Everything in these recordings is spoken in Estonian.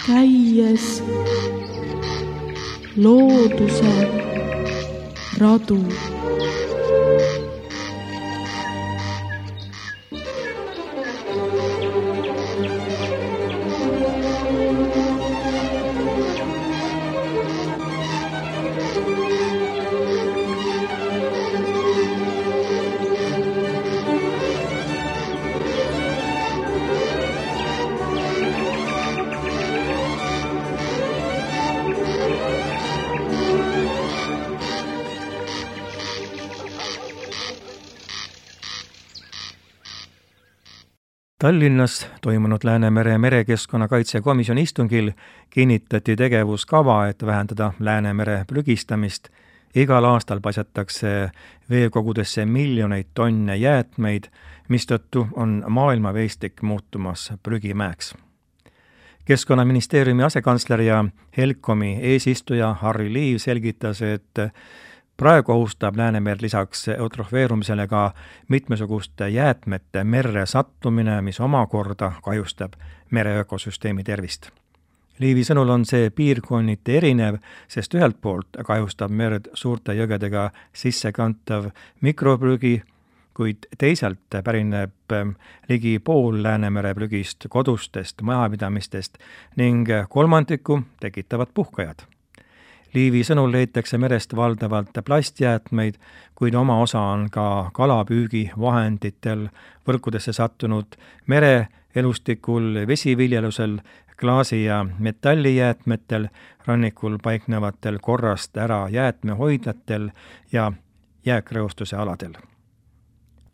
käies looduse radu. Tallinnas toimunud Läänemere merekeskkonna kaitsekomisjoni istungil kinnitati tegevuskava, et vähendada Läänemere prügistamist. Igal aastal paisatakse veekogudesse miljoneid tonne jäätmeid, mistõttu on maailmaveestik muutumas prügimäeks. Keskkonnaministeeriumi asekantsler ja HELCOM-i eesistuja Harry Liiv selgitas, et praegu ohustab Läänemerd lisaks eutrofeerumisele ka mitmesuguste jäätmete merre sattumine, mis omakorda kahjustab mere ökosüsteemi tervist. Liivi sõnul on see piirkonniti erinev, sest ühelt poolt kahjustab merd suurte jõgedega sissekantav mikroprügi, kuid teisalt pärineb ligi pool Läänemere prügist kodustest majapidamistest ning kolmandiku tekitavad puhkajad. Liivi sõnul leitakse merest valdavalt plastjäätmeid, kuid oma osa on ka kalapüügivahenditel, võrkudesse sattunud mereelustikul, vesiviljelusel, klaasi- ja metallijäätmetel, rannikul paiknevatel korrast ära jäätmehoidlatel ja jääkreostuse aladel.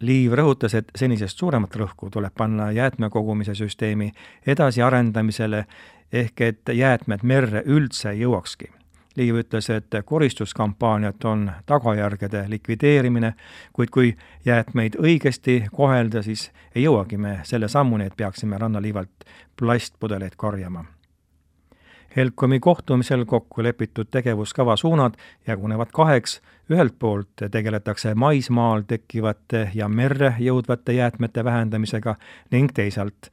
Liiv rõhutas, et senisest suuremat rõhku tuleb panna jäätmekogumise süsteemi edasiarendamisele ehk et jäätmed merre üldse jõuakski. Liiv ütles, et koristuskampaaniat on tagajärgede likvideerimine, kuid kui jäätmeid õigesti kohelda, siis ei jõuagi me selle sammuni, et peaksime rannaliivalt plastpudeleid korjama. HELCOM-i kohtumisel kokku lepitud tegevuskava suunad jagunevad kaheks. Ühelt poolt tegeletakse maismaal tekkivate ja merre jõudvate jäätmete vähendamisega ning teisalt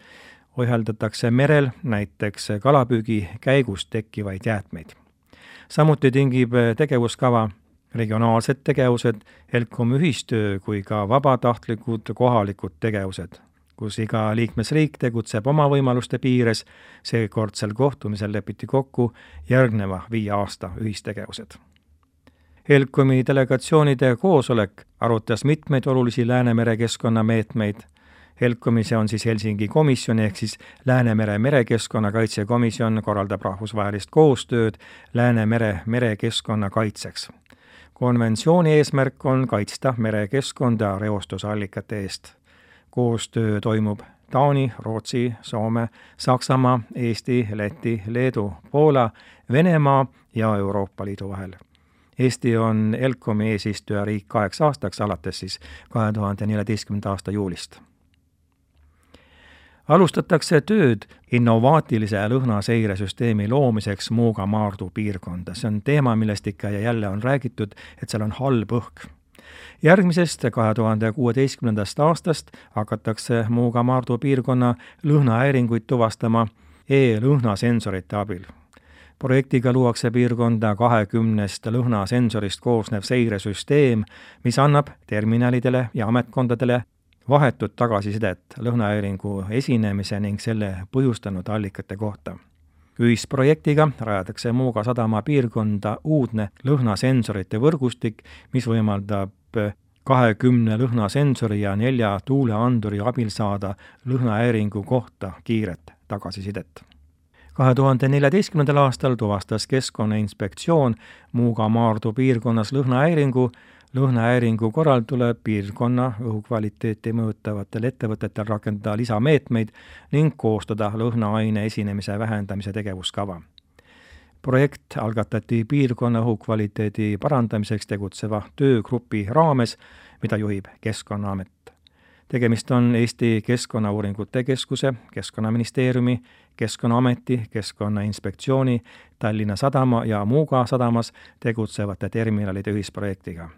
ohjeldatakse merel näiteks kalapüügi käigus tekkivaid jäätmeid. Samuti tingib tegevuskava regionaalsed tegevused, HELCOM ühistöö kui ka vabatahtlikud kohalikud tegevused, kus iga liikmesriik tegutseb oma võimaluste piires. Seekordsel kohtumisel lepiti kokku järgneva 5 aasta ühistegevused. HELCOM-i delegatsioonide koosolek arutas mitmeid olulisi Läänemere keskkonnameetmeid. HELCOM-i, see on siis Helsingi komisjon ehk siis Läänemere merekeskkonna kaitsekomisjon, korraldab rahvusvahelist koostööd Läänemere merekeskkonna kaitseks. Konventsiooni eesmärk on kaitsta merekeskkonda reostusallikate eest. Koostöö toimub Taani, Rootsi, Soome, Saksamaa, Eesti, Läti, Leedu, Poola, Venemaa ja Euroopa Liidu vahel. Eesti on HELCOM-i eesistujariik 8 aastaks alates siis 2014. aasta juulist. Alustatakse tööd innovaatilise lõhnaseiresüsteemi loomiseks Muuga-Maardu piirkonda. See on teema, millest ikka ja jälle on räägitud, et seal on halb õhk. Järgmisest 2016. aastast hakatakse Muuga-Maardu piirkonna lõhnahäiringuid tuvastama e-lõhnasensorite abil. Projektiga luuakse piirkonda 20 lõhnasensorist koosnev seiresüsteem, mis annab terminalidele ja ametkondadele vahetut tagasisidet lõhnahäiringu esinemise ning selle põhjustanud allikate kohta. Ühisprojektiga rajatakse Muuga sadama piirkonda uudne lõhnasensorite võrgustik, mis võimaldab 20 lõhnasensori ja 4 tuuleanduri abil saada lõhnahäiringu kohta kiiret tagasisidet. 2014. aastal tuvastas Keskkonnainspektsioon Muuga-Maardu piirkonnas lõhnahäiringu. Lõhnahäiringu korral tuleb piirkonna õhukvaliteeti mõjutavatel ettevõtetel rakendada lisameetmeid ning koostada lõhnaaine esinemise vähendamise tegevuskava. Projekt algatati piirkonna õhukvaliteedi parandamiseks tegutseva töögrupi raames, mida juhib Keskkonnaamet. Tegemist on Eesti Keskkonnauuringute Keskuse, Keskkonnaministeeriumi, Keskkonnaameti, Keskkonnainspektsiooni, Tallinna Sadama ja Muuga sadamas tegutsevate terminalide ühisprojektiga.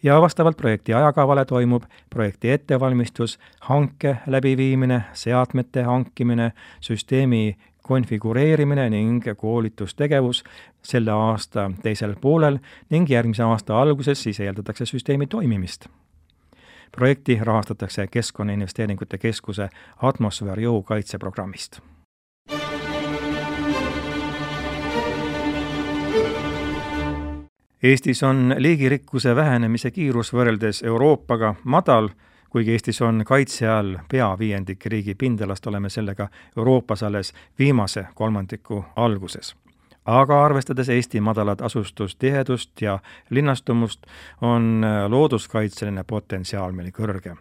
Ja vastavalt projekti ajakavale toimub projekti ettevalmistus, hanke läbiviimine, seadmete hankimine, süsteemi konfigureerimine ning koolitustegevus selle aasta teisel poolel ning järgmise aasta alguses siis eeldatakse süsteemi toimimist. Projekti rahastatakse Keskkonnainvesteeringute Keskuse atmosfääriõhu kaitseprogrammist. Eestis on liigirikkuse vähenemise kiirus võrreldes Euroopaga madal, kuigi Eestis on kaitse all pea viiendik riigi pindalast, oleme sellega Euroopas alles viimase kolmandiku alguses. Aga arvestades Eesti madalat asustustihedust ja linnastumust, on looduskaitseline potentsiaal meil kõrge.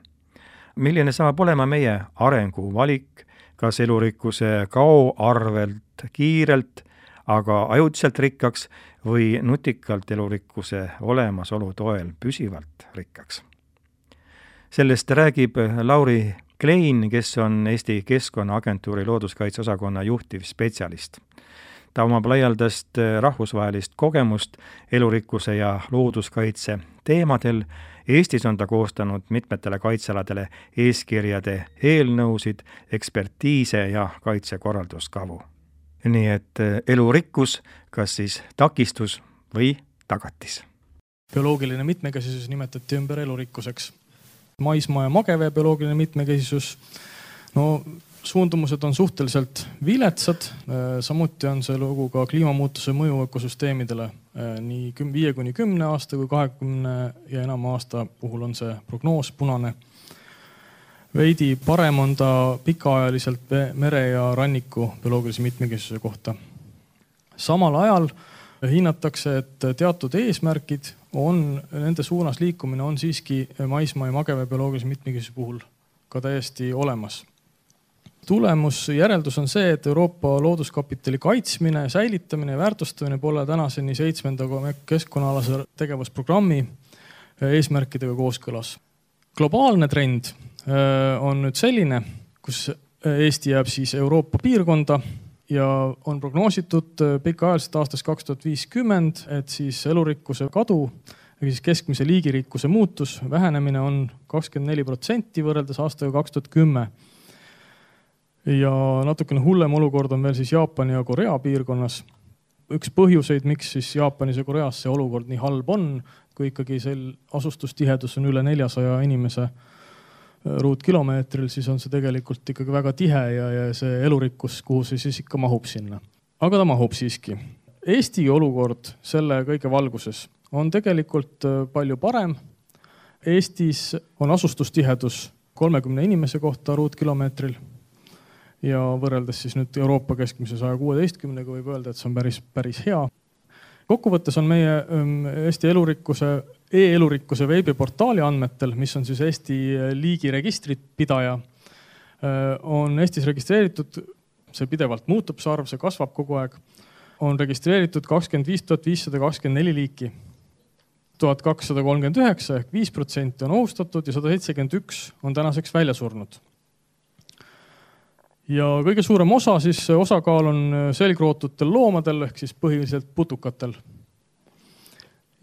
Milline saab olema meie arenguvalik, kas elurikkuse kao arvelt kiirelt, aga ajutiselt rikkaks või nutikalt elurikkuse olemasolu toel püsivalt rikkaks? Sellest räägib Lauri Klein, kes on Eesti Keskkonnaagentuuri looduskaitseosakonna juhtiv spetsialist. Ta omab laialdast rahvusvahelist kogemust elurikkuse ja looduskaitse teemadel. Eestis on ta koostanud mitmetele kaitsealadele eeskirjade eelnõusid, ekspertiise ja kaitsekorralduskavu. Nii et elurikkus, kas siis takistus või tagatis? Bioloogiline mitmekesisus nimetati ümber elurikkuseks. Maismaa ja magevee bioloogiline mitmekesisus, suundumused on suhteliselt viletsad, samuti on see lugu ka kliimamuutuse mõju ökosüsteemidele. Nii 5-10 aasta kui 20 ja enama aasta puhul on see prognoos punane. Veidi parem on ta pikaajaliselt mere ja ranniku bioloogilise mitmekesisuse kohta. Samal ajal hinnatakse, et teatud eesmärgid on, nende suunas liikumine on siiski maismaa ja magevee bioloogilise mitmekesisuse puhul ka täiesti olemas. Järeldus on see, et Euroopa looduskapitali kaitsmine, säilitamine ja väärtustamine pole tänaseni 7. keskkonnaalase tegevusprogrammi eesmärkidega kooskõlas. Globaalne trend on nüüd selline, kus Eesti jääb siis Euroopa piirkonda ja on prognoositud pikaajaliselt aastast 2050, et siis elurikkuse kadu, siis keskmise liigirikkuse muutus, vähenemine on 24% võrreldes aastaga 2010. Ja natukene hullem olukord on veel siis Jaapani ja Korea piirkonnas. Üks põhjuseid, miks siis Jaapanis ja Koreas see olukord nii halb on, kui ikkagi asustustihedus on üle 400 inimese ruutkilomeetril, siis on see tegelikult ikkagi väga tihe ja see elurikkus, kuhu see siis ikka mahub sinna. Aga ta mahub siiski. Eesti olukord selle kõige valguses on tegelikult palju parem. Eestis on asustustihedus 30 inimese kohta ruutkilomeetril ja võrreldes siis nüüd Euroopa keskmise 116-ga võib öelda, et see on päris hea. Kokkuvõttes on meie Eesti e-elurikkuse veebiportaali andmetel, mis on siis Eesti liigiregistrit pidaja, on Eestis registreeritud, see pidevalt muutub, see arv, see kasvab kogu aeg, on registreeritud 25 524 liiki. 1239 ehk 5% on ohustatud ja 171 on tänaseks välja surnud. Ja kõige suurem osakaal on selgrootutel loomadel ehk siis põhiliselt putukatel.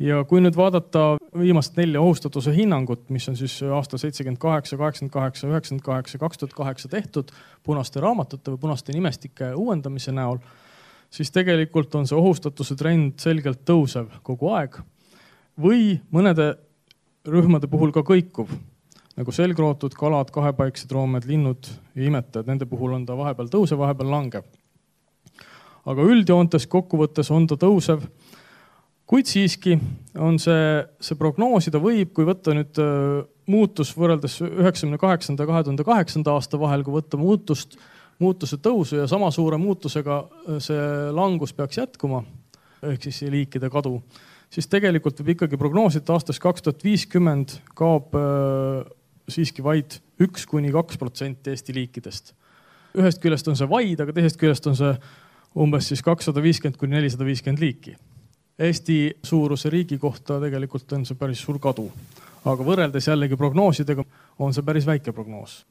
Ja kui nüüd vaadata viimast 4 ohustatuse hinnangut, mis on siis aastal 78, 88, 98, 2008 tehtud punaste raamatute või punaste nimestike uuendamise näol, siis tegelikult on see ohustatuse trend selgelt tõusev kogu aeg või mõnede rühmade puhul ka kõikuv. Nagu selgrootud, kalad, kahepaiksed roomed, linnud ja imetajad, nende puhul on ta vahepeal tõusev, vahepeal langev. Aga üldjoontes kokkuvõttes on ta tõusev, kuid siiski on see prognoosida võib, kui võtta nüüd muutus võrreldes 98. ja 2008. aasta vahel, kui võtta muutuse tõusu ja sama suure muutusega see langus peaks jätkuma, ehk siis liikide kadu, siis tegelikult võib ikkagi prognoosida aastast 2050 kaob siiski vaid 1-2% Eesti liikidest. Ühest küljest on see vaid, aga teisest küljest on see umbes siis 250-450 liiki. Eesti suuruse riigi kohta tegelikult on see päris suur kadu, aga võrreldes jällegi prognoosidega on see päris väike prognoos.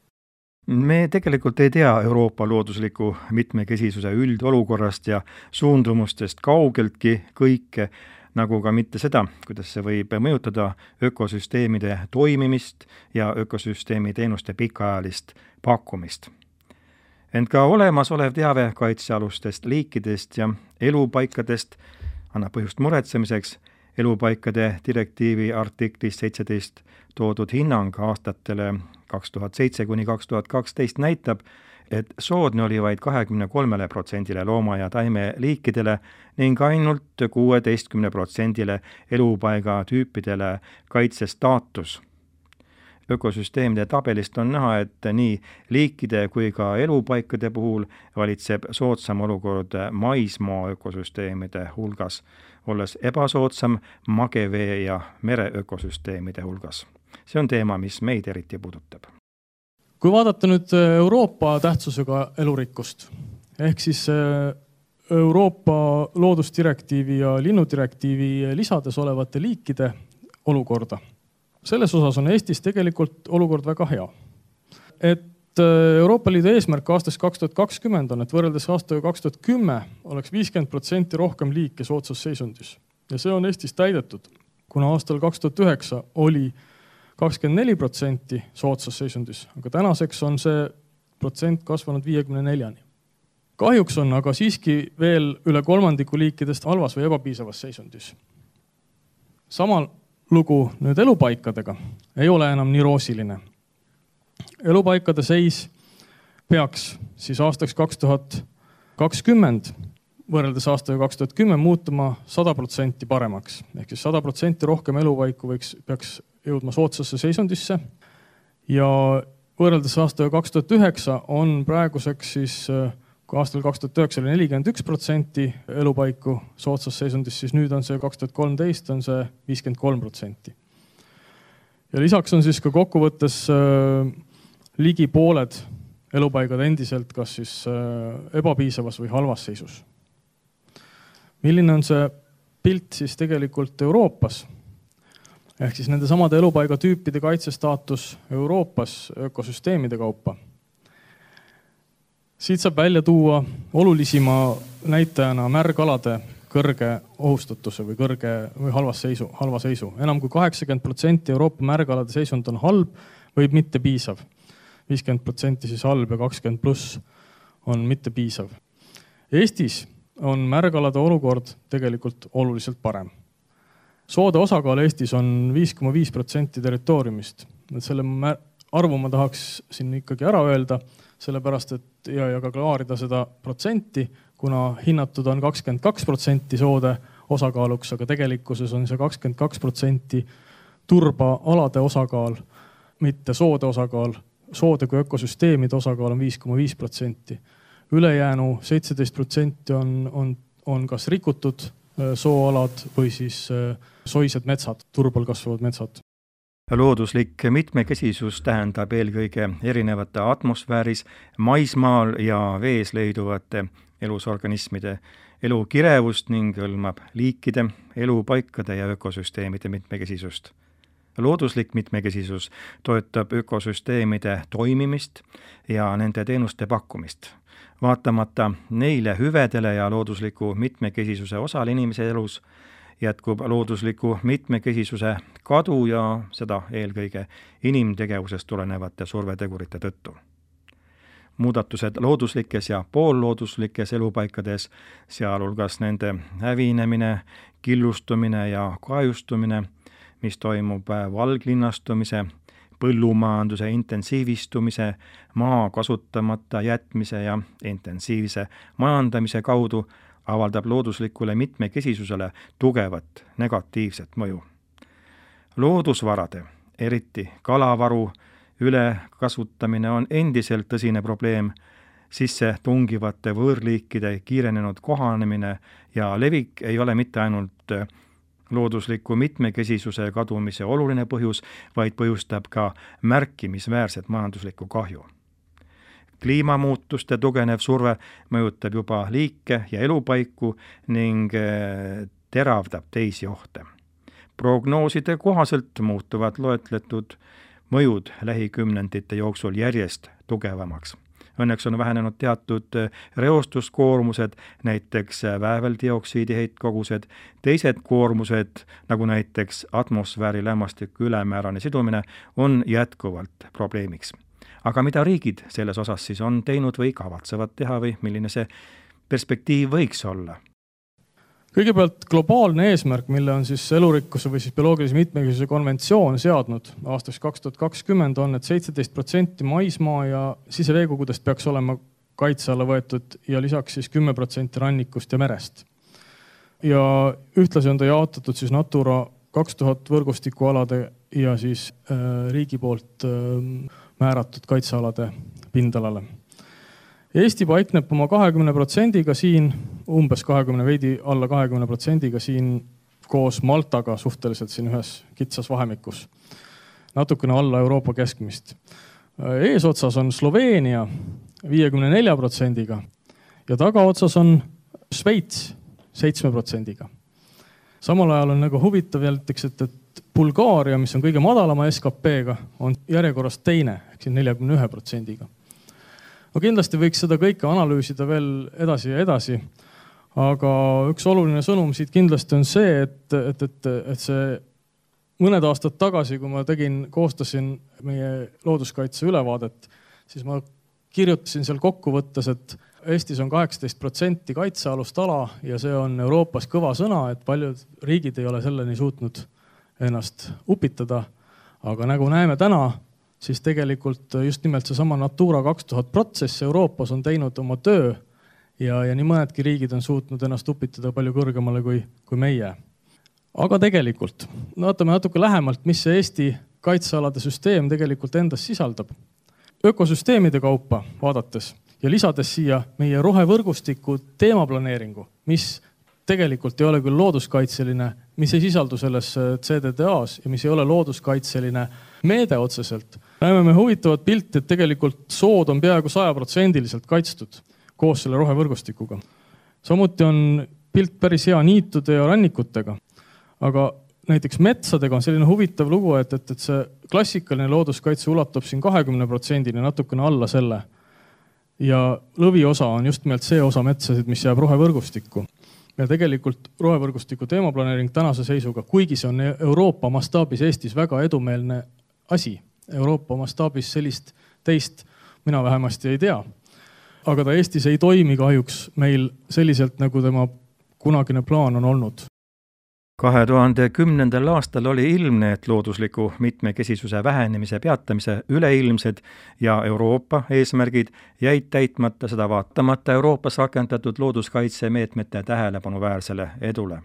Me tegelikult ei tea Euroopa loodusliku mitmekesisuse üldolukorrast ja suundumustest kaugeltki kõike, nagu ka mitte seda, kuidas see võib mõjutada ökosüsteemide toimimist ja ökosüsteemi teenuste pikaajalist pakkumist. Ent ka olemasolev teave kaitsealustest liikidest ja elupaikadest annab põhjust muretsemiseks. Elupaikade direktiivi artiklis 17 toodud hinnang aastatele 2007–2012 näitab, et soodne oli vaid 23% looma- ja taimeliikidele ning ainult 16% elupaiga tüüpidele kaitsestaatus. Ökosüsteemide tabelist on näha, et nii liikide kui ka elupaikade puhul valitseb soodsam olukord maismaa ökosüsteemide hulgas, olles ebasoodsam magevee ja mere ökosüsteemide hulgas. See on teema, mis meid eriti puudutab. Kui vaadata nüüd Euroopa tähtsusega elurikkust, ehk siis Euroopa loodusdirektiivi ja linnudirektiivi lisades olevate liikide olukorda, selles osas on Eestis tegelikult olukord väga hea. Et Euroopa Liidu eesmärk aastast 2020 on, et võrreldes aastaga 2010 oleks 50% rohkem liike soodsas seisundis. Ja see on Eestis täidetud, kuna aastal 2009 oli 24% soodsas seisundis, aga tänaseks on see protsent kasvanud 54-ni. Kahjuks on aga siiski veel üle kolmandiku liikidest halvas või ebapiisavas seisundis. Samal lugu nüüd elupaikadega ei ole enam nii roosiline. Elupaikade seis peaks siis aastaks 2020 võrreldes aastaga 2010 muutuma 100% paremaks. Ehk siis 100% rohkem elupaiku peaks jõudma soodsasse seisundisse ja võrreldes aastaga 2009 on praeguseks siis, kui aastal 2009 oli 41% elupaiku soodsas seisundis, siis nüüd on see 2013 on see 53%. Ja lisaks on siis ka kokkuvõttes ligi pooled elupaigad endiselt kas siis ebapiisavas või halvas seisus. Milline on see pilt siis tegelikult Euroopas? Ehk siis nende samade elupaiga tüüpide kaitsestaatus Euroopas ökosüsteemide kaupa. Siit saab välja tuua olulisima näitajana märgalade kõrge ohustatuse või halva seisu. Enam kui 80% Euroopa märgalade seisund on halb või mitte piisav. 50% siis halb ja 20+ on mitte piisav. Eestis on märgalade olukord tegelikult oluliselt parem. Soode osakaal Eestis on 5,5% territooriumist. Selle arvu ma tahaks siin ikkagi ära öelda, sellepärast et ja ka klaarida seda protsenti, kuna hinnatud on 22% soode osakaaluks, aga tegelikkuses on see 22% turba-alade osakaal, mitte soode osakaal. Soode kui ökosüsteemide osakaal on 5,5%. Ülejäänu 17% on kas rikutud sooalad või siis soised metsad, turbal kasvavad metsad. Looduslik mitmekesisus tähendab eelkõige erinevate atmosfääris, maismaal ja vees leiduvate elusorganismide elukirevust ning hõlmab liikide, elupaikade ja ökosüsteemide mitmekesisust. Looduslik mitmekesisus toetab ökosüsteemide toimimist ja nende teenuste pakkumist. Vaatamata neile hüvedele ja loodusliku mitmekesisuse osal inimese elus jätkub loodusliku mitmekesisuse kadu ja seda eelkõige inimtegevusest tulenevate survetegurite tõttu. Muudatused looduslikes ja poollooduslikes elupaikades, sealhulgas nende hävinemine, killustumine ja kahjustumine, mis toimub valglinnastumise, põllumajanduse intensiivistumise, maa kasutamata jätmise ja intensiivse majandamise kaudu avaldab looduslikule mitmekesisusele tugevat negatiivset mõju. Loodusvarade, eriti kalavaru, ülekasutamine on endiselt tõsine probleem, sisse tungivate võõrliikide kiirenenud kohanemine ja levik ei ole mitte ainult loodusliku mitmekesisuse kadumise oluline põhjus, vaid põhjustab ka märkimisväärset majanduslikku kahju. Kliimamuutuste tugenev surve mõjutab juba liike ja elupaiku ning teravdab teisi ohte. Prognooside kohaselt muutuvad loetletud mõjud lähikümnendite jooksul järjest tugevamaks. Õnneks on vähenenud teatud reostuskoormused, näiteks vääveldioksiidi heitkogused, teised koormused, nagu näiteks atmosfääri lämmastiku ülemäärane sidumine, on jätkuvalt probleemiks. aga mida riigid selles osas siis on teinud või kavatsevad teha või milline see perspektiiv võiks olla? Kõigepealt globaalne eesmärk, mille on siis elurikkuse või siis bioloogilise mitmekesisuse konventsioon seadnud aastaks 2020 on, et 17% maismaa ja siseveekogudest peaks olema kaitse alla võetud ja lisaks siis 10% rannikust ja merest. Ja ühtlasi on ta jaotatud siis Natura 2000 võrgustikualade ja siis riigi poolt määratud kaitsealade pindalale. Eesti paikneb oma 20%-ga siin, umbes 20, veidi alla 20%-ga siin koos Maltaga suhteliselt siin ühes kitsas vahemikus. Natukene alla Euroopa keskmist. Eesotsas on Sloveenia 54%-ga ja tagaotsas on Šveits 7%-ga. Samal ajal on nagu huvitav jälliteks, et Bulgaaria, mis on kõige madalama SKP-ga, on järjekorras teine, ehk siin 41%-ga. No kindlasti võiks seda kõike analüüsida veel edasi ja edasi, aga üks oluline sõnum siit kindlasti on see, et see mõned aastad tagasi, kui ma koostasin meie looduskaitse ülevaadet, siis ma kirjutasin seal kokkuvõttes, et Eestis on 18% kaitsealust ala ja see on Euroopas kõva sõna, et paljud riigid ei ole selleni suutnud ennast upitada, aga nagu näeme täna, siis tegelikult just nimelt seesama Natura 2000 protsess Euroopas on teinud oma töö ja nii mõnedki riigid on suutnud ennast upitada palju kõrgemale kui meie. Aga tegelikult, vaatame natuke lähemalt, mis see Eesti kaitsealade süsteem tegelikult endas sisaldab. Ökosüsteemide kaupa vaadates ja lisades siia meie rohevõrgustiku teemaplaneeringu, mis tegelikult ei ole küll looduskaitseline, mis ei sisaldu selles CDDA-s ja mis ei ole looduskaitseline meede otseselt. Näeme me huvitavat pilti, et tegelikult sood on peaaegu 100% kaitstud koos selle rohevõrgustikuga. Samuti on pilt päris hea niitude ja rannikutega, aga näiteks metsadega on selline huvitav lugu, et see klassikaline looduskaitse ulatub siin 20%-ni, natukene alla selle. Ja lõviosa on just nimelt see osa metsasid, mis jääb rohevõrgustikku. Ja tegelikult rohevõrgustiku teemaplaneering tänase seisuga, kuigi see on Euroopa mastaabis Eestis väga edumeelne asi. Euroopa mastaabis sellist teist mina vähemasti ei tea. Aga ta Eestis ei toimi kahjuks meil selliselt, nagu tema kunagine plaan on olnud. 2010. aastal oli ilmne, et loodusliku mitmekesisuse vähenemise peatamise üleilmsed ja Euroopa eesmärgid jäid täitmata, seda vaatamata Euroopas rakendatud looduskaitsemeetmete tähelepanu-väärsele edule.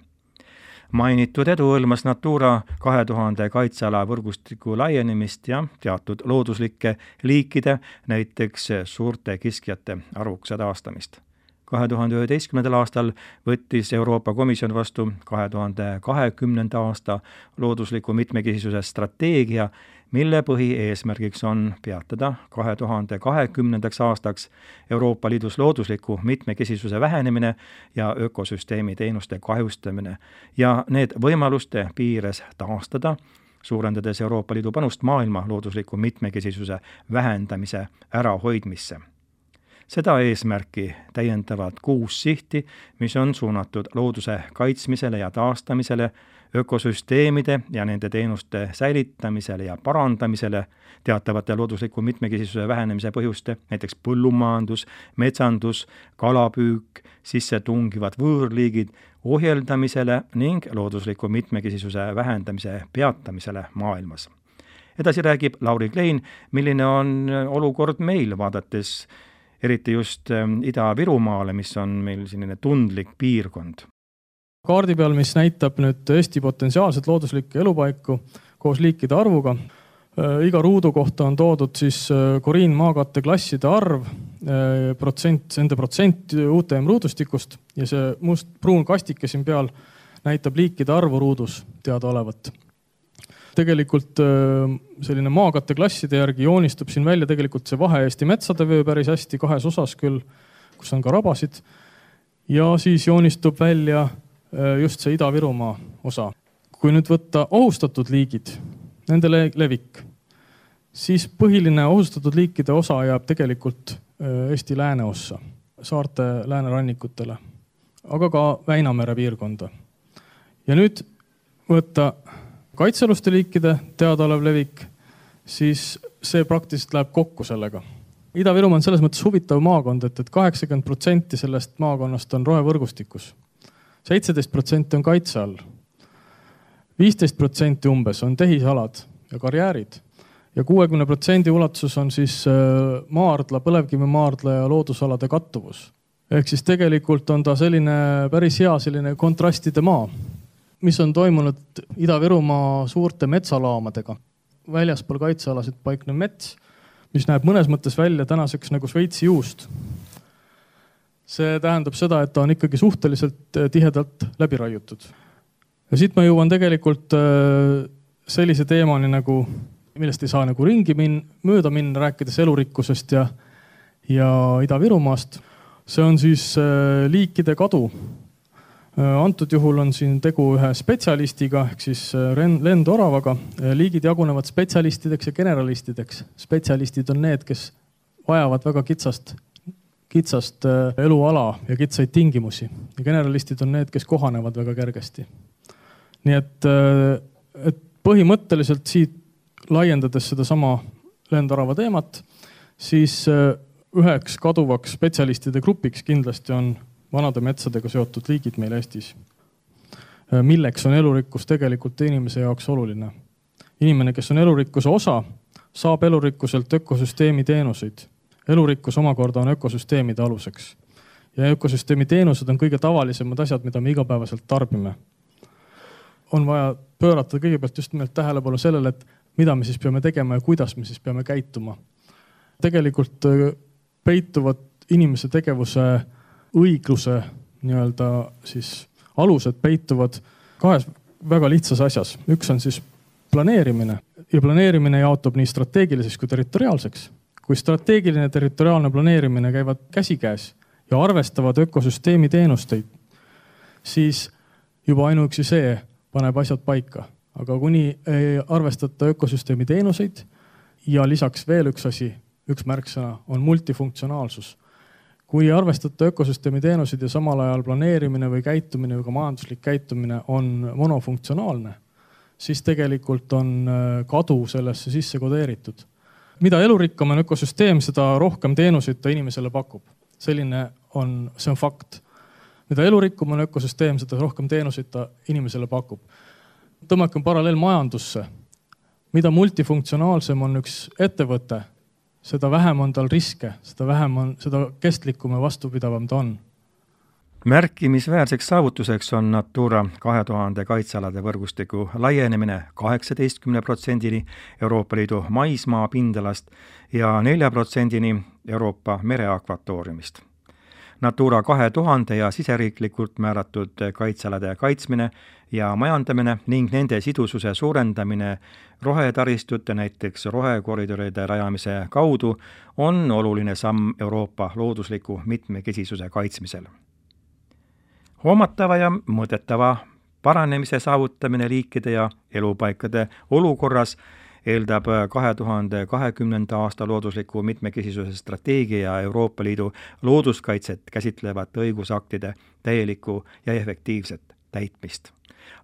Mainitud edu hõlmas Natura 2000 kaitseala võrgustiku laienemist ja teatud looduslike liikide, näiteks suurte kiskjate arvukuse taastamist. 2011. aastal võttis Euroopa Komisjon vastu 2020. aasta loodusliku mitmekesisuse strateegia, mille põhieesmärgiks on peatada 2020. aastaks Euroopa Liidus loodusliku mitmekesisuse vähenemine ja ökosüsteemi teenuste kahjustamine ja need võimaluste piires taastada, suurendades Euroopa Liidu panust maailma loodusliku mitmekesisuse vähendamise ärahoidmisse. Seda eesmärki täiendavad 6 sihti, mis on suunatud looduse kaitsmisele ja taastamisele, ökosüsteemide ja nende teenuste säilitamisele ja parandamisele, teatavate loodusliku mitmekesisuse vähenemise põhjuste, näiteks põllumajandus, metsandus, kalapüük, sisse tungivad võõrliigid, ohjeldamisele ning loodusliku mitmekesisuse vähendamise peatamisele maailmas. Edasi räägib Lauri Klein, milline on olukord meil, vaadates eriti just Ida-Virumaale, mis on meil selline tundlik piirkond. Kaardi peal, mis näitab nüüd Eesti potentsiaalset looduslikke elupaiku koos liikide arvuga. Iga ruudu kohta on toodud siis koriinmaakatte klasside arv, nende protsent UTM ruudustikust ja see pruun kastike siin peal näitab liikide arvu ruudus teada olevat. Tegelikult selline maakatte klasside järgi joonistub siin välja tegelikult see vahe Eesti metsade vöö päris hästi 2 osas küll, kus on ka rabasid. Ja siis joonistub välja just see Ida-Virumaa osa. Kui nüüd võtta ohustatud liigid, nende levik, siis põhiline ohustatud liikide osa jääb tegelikult Eesti lääneossa, saarte läänerannikutele, aga ka Väinamere piirkonda. Ja nüüd võtta kaitsealuste liikide teadaolev levik, siis see praktiliselt läheb kokku sellega. Ida-Virumaa on selles mõttes huvitav maakond, et 80% sellest maakonnast on rohevõrgustikus. 17% on kaitse all. 15% umbes on tehisalad ja karjäärid. Ja 60% ulatuses on siis maardla, põlevkivimaardla ja loodusalade kattuvus. Ehk siis tegelikult on ta selline päris hea selline kontrastide maa, mis on toimunud Ida-Virumaa suurte metsalaamadega. Väljaspool kaitsealasid paiknev mets, mis näeb mõnes mõttes välja tänaseks nagu Šveitsi juust. See tähendab seda, et ta on ikkagi suhteliselt tihedalt läbi raiutud. Ja siit ma jõuan tegelikult sellise teemani, nagu, millest ei saa nagu ringi mööda minna, rääkides elurikkusest ja Ida-Virumaast. See on siis liikide kadu. Antud juhul on siin tegu ühe spetsialistiga, ehk siis lendoravaga. Liigid jagunevad spetsialistideks ja generalistideks. Spetsialistid on need, kes vajavad väga kitsast eluala ja kitsaid tingimusi. Ja generalistid on need, kes kohanevad väga kergesti. Nii et põhimõtteliselt siit laiendades seda sama lendorava teemat, siis üheks kaduvaks spetsialistide grupiks kindlasti on vanade metsadega seotud liigid meil Eestis, milleks on elurikkus tegelikult inimese jaoks oluline. Inimene, kes on elurikkuse osa, saab elurikkuselt ökosüsteemi teenuseid. Elurikkus omakorda on ökosüsteemide aluseks. Ja ökosüsteemi teenused on kõige tavalisemad asjad, mida me igapäevaselt tarbime. On vaja pöörata kõigepealt just nimelt tähelepanu sellele, et mida me siis peame tegema ja kuidas me siis peame käituma. Tegelikult peituvad inimese tegevuse õigluse nii-öelda siis alused peituvad kahes väga lihtsas asjas. Üks on siis planeerimine ja planeerimine jaotub nii strateegiliseks kui territoriaalseks. Kui strateegiline territoriaalne planeerimine käivad käsikäes ja arvestavad ökosüsteemi teenusteid, siis juba ainuüksi see paneb asjad paika. Aga kuni ei arvestata ökosüsteemi teenuseid ja lisaks veel üks asi, üks märksõna on multifunktsionaalsus. Kui arvestada ökosüsteemi teenuseid ja samal ajal planeerimine või käitumine või ka majanduslik käitumine on monofunktsionaalne, siis tegelikult on kadu sellesse sisse kodeeritud. Mida elurikkam on ökosüsteem, seda rohkem teenuseid ta inimesele pakub. See on fakt. Mida elurikkum on ökosüsteem, seda rohkem teenuseid ta inimesele pakub. Tõmmakem paralleel majandusse. Mida multifunktsionaalsem on üks ettevõte, seda vähem on tal riske, seda kestlikum ja vastupidavam ta on. Märkimisväärseks saavutuseks on Natura 2000 kaitsealade võrgustiku laienemine 18% Euroopa Liidu maismaa pindalast ja 4% Euroopa mereakvatooriumist. Natura 2000 ja siseriiklikult määratud kaitsealade kaitsmine ja majandamine ning nende sidususe suurendamine rohetaristute, näiteks rohekoridoride rajamise kaudu on oluline samm Euroopa loodusliku mitmekesisuse kaitsmisel. Hoomatava ja mõõdetava paranemise saavutamine liikide ja elupaikade olukorras eeldab 2020. aasta loodusliku mitmekesisuse strateegia ja Euroopa Liidu looduskaitset käsitlevate õigusaktide täielikku ja efektiivset täitmist.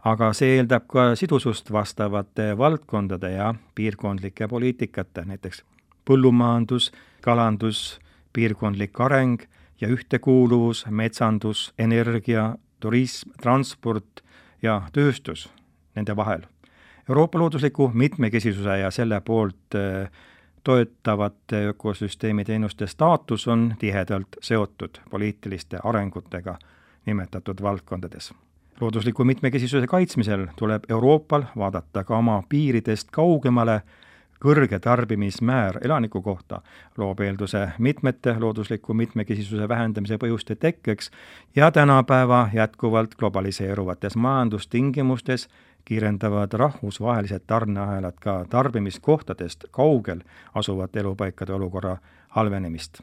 Aga see eeldab ka sidusust vastavate valdkondade ja piirkondlike poliitikate, näiteks põllumajandus, kalandus, piirkondlik areng ja ühtekuuluvus, metsandus, energia, turism, transport ja tööstus nende vahel. Euroopa loodusliku mitmekesisuse ja selle poolt toetavate ökosüsteemi teenuste staatus on tihedalt seotud poliitiliste arengutega nimetatud valdkondades. Loodusliku mitmekesisuse kaitsmisel tuleb Euroopal vaadata ka oma piiridest kaugemale. Kõrge tarbimismäär elaniku kohta loob eelduse mitmete loodusliku mitmekesisuse vähendamise põhjuste tekkeks ja tänapäeva jätkuvalt globaliseeruvates majandustingimustes kiirendavad rahvusvahelised tarneahelad ka tarbimiskohtadest kaugel asuvate elupaikade olukorra halvenemist.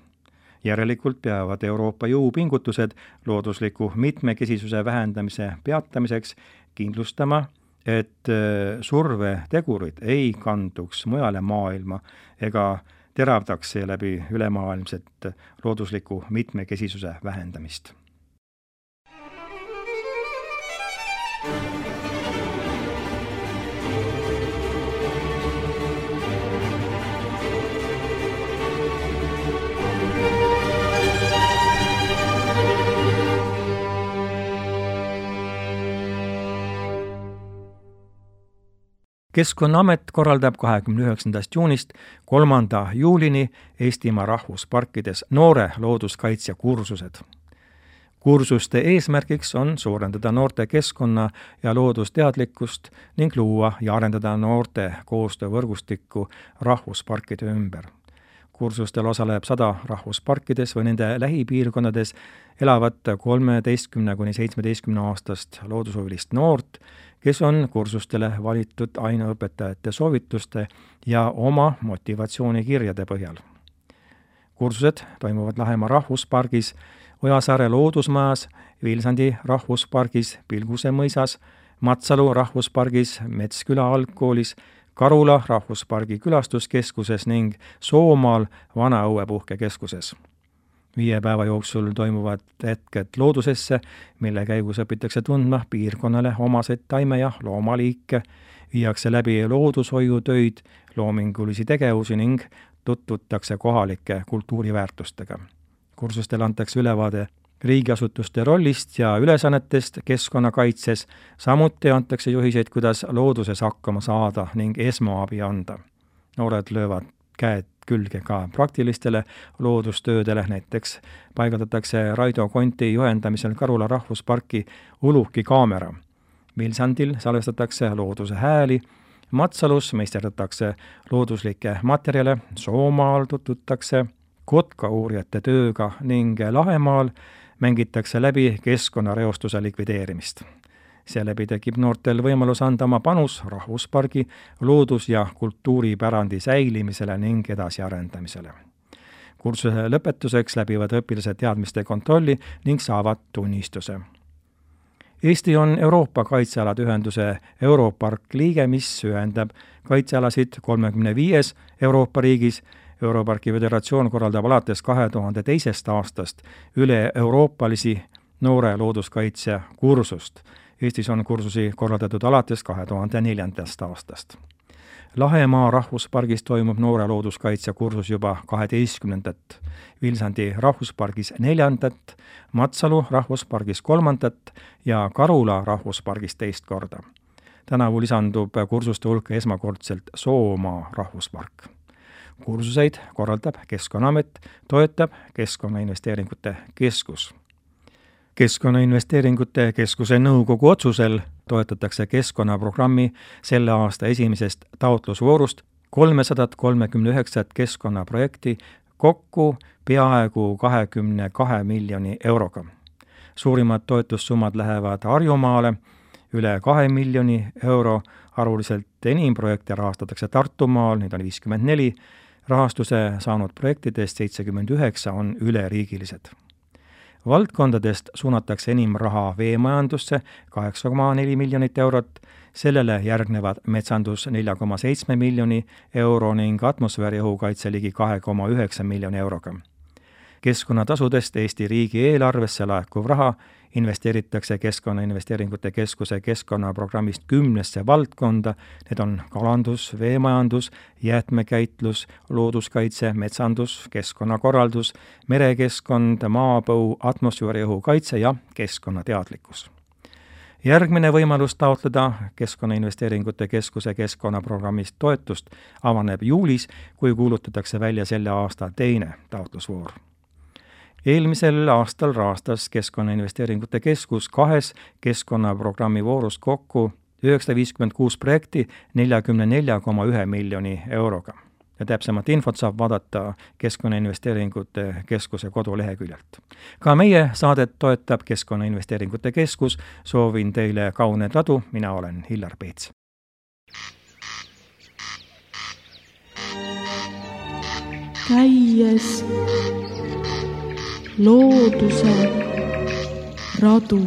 Järelikult peavad Euroopa jõupingutused loodusliku mitmekesisuse vähendamise peatamiseks kindlustama, et survetegurid ei kanduks mujale maailma ega teravdaks seeläbi ülemaailmset loodusliku mitmekesisuse vähendamist. Keskkonnaamet korraldab 29. juunist 3. juulini Eestimaa rahvusparkides noore looduskaitsja kursused. Kursuste eesmärgiks on suurendada noorte keskkonna- ja loodusteadlikkust ning luua ja arendada noorte koostöövõrgustikku rahvusparkide ümber. Kursustel osaleb 100 rahvusparkides või nende lähipiirkondades elavat 13–17 loodushuvilist noort, kes on kursustele valitud aineõpetajate soovituste ja oma motivatsioonikirjade põhjal. Kursused toimuvad Lahemaa rahvuspargis, Ojasaare loodusmajas, Vilsandi rahvuspargis, Pilguse mõisas, Matsalu rahvuspargis, Metsküla algkoolis, Karula rahvuspargi külastuskeskuses ning Soomaal Vana-Õue puhkekeskuses. 5 päeva jooksul toimuvad hetked loodusesse, mille käigus õpitakse tundma piirkonnale omaseid taime- ja loomaliike, viiakse läbi loodushoiutöid, loomingulisi tegevusi ning tutvutakse kohalike kultuuriväärtustega. Kursustel antakse ülevaade riigiasutuste rollist ja ülesannetest keskkonnakaitses, samuti antakse juhiseid, kuidas looduses hakkama saada ning esmaabi anda. Noored löövad käed külge ka praktilistele loodustöödele, näiteks paigaldatakse Raido Konti juhendamisel Karula rahvusparki uluki kaamera. Vilsandil salvestatakse looduse hääli, Matsalus meisterdatakse looduslikke materjale, Soomaal tutvutakse kotkauurijate tööga ning Lahemaal mängitakse läbi keskkonnareostuse likvideerimist. Seeläbi tekib noortel võimalus anda oma panus rahvuspargi, loodus- ja kultuuripärandi säilimisele ning edasiarendamisele. Kursuse lõpetuseks läbivad õpilased teadmiste kontrolli ning saavad tunnistuse. Eesti on Euroopa Kaitsealade Ühenduse Europark liige, mis ühendab kaitsealasid 35 Euroopa riigis. Europarki Föderatsioon korraldab alates 2002. aastast üle-euroopalisi noore looduskaitse kursust. Eestis on kursusi korraldatud alates 2004. aastast. Lahemaa rahvuspargis toimub noore looduskaitse kursus juba 12. Vilsandi rahvuspargis 4., Matsalu rahvuspargis 3. ja Karula rahvuspargis 2 korda. Tänavu lisandub kursuste hulka esmakordselt Soomaa rahvuspark. Kursuseid korraldab Keskkonnaamet, toetab Keskkonnainvesteeringute Keskus. Keskkonnainvesteeringute Keskuse nõukogu otsusel toetatakse keskkonnaprogrammi selle aasta esimesest taotlusvoorust 339 keskkonnaprojekti kokku peaaegu 22 miljoni euroga. Suurimad toetussummad lähevad Harjumaale, üle 2 miljoni euro, arvuliselt enim projekte rahastatakse Tartumaal, neid on 54, rahastuse saanud projektidest 79 on üleriigilised. Valdkondadest suunatakse enim raha veemajandusse 8,4 miljonit eurot, sellele järgnevad metsandus 4,7 miljoni euro ning atmosfääriõhu kaitse ligi 2,9 miljoni euroga. Keskkonnatasudest Eesti riigieelarvesse laekuv raha investeeritakse Keskkonnainvesteeringute Keskuse keskkonnaprogrammist 10 valdkonda, need on kalandus, veemajandus, jäätmekäitlus, looduskaitse, metsandus, keskkonnakorraldus, merekeskkond, maapõu, atmosfääriõhu kaitse ja keskkonnateadlikkus. Järgmine võimalus taotleda Keskkonnainvesteeringute Keskuse keskkonnaprogrammist toetust avaneb juulis, kui kuulutatakse välja selle aasta teine taotlusvoor. Eelmisel aastal rahastas Keskkonnainvesteeringute Keskus 2 keskkonnaprogrammi voorus kokku 956 projekti 44,1 miljoni euroga. Ja täpsemat infot saab vaadata Keskkonnainvesteeringute Keskuse koduleheküljelt. Ka meie saadet toetab Keskkonnainvesteeringute Keskus. Soovin teile kauneid ladu, mina olen Hillar Peets. Käies looduse radu.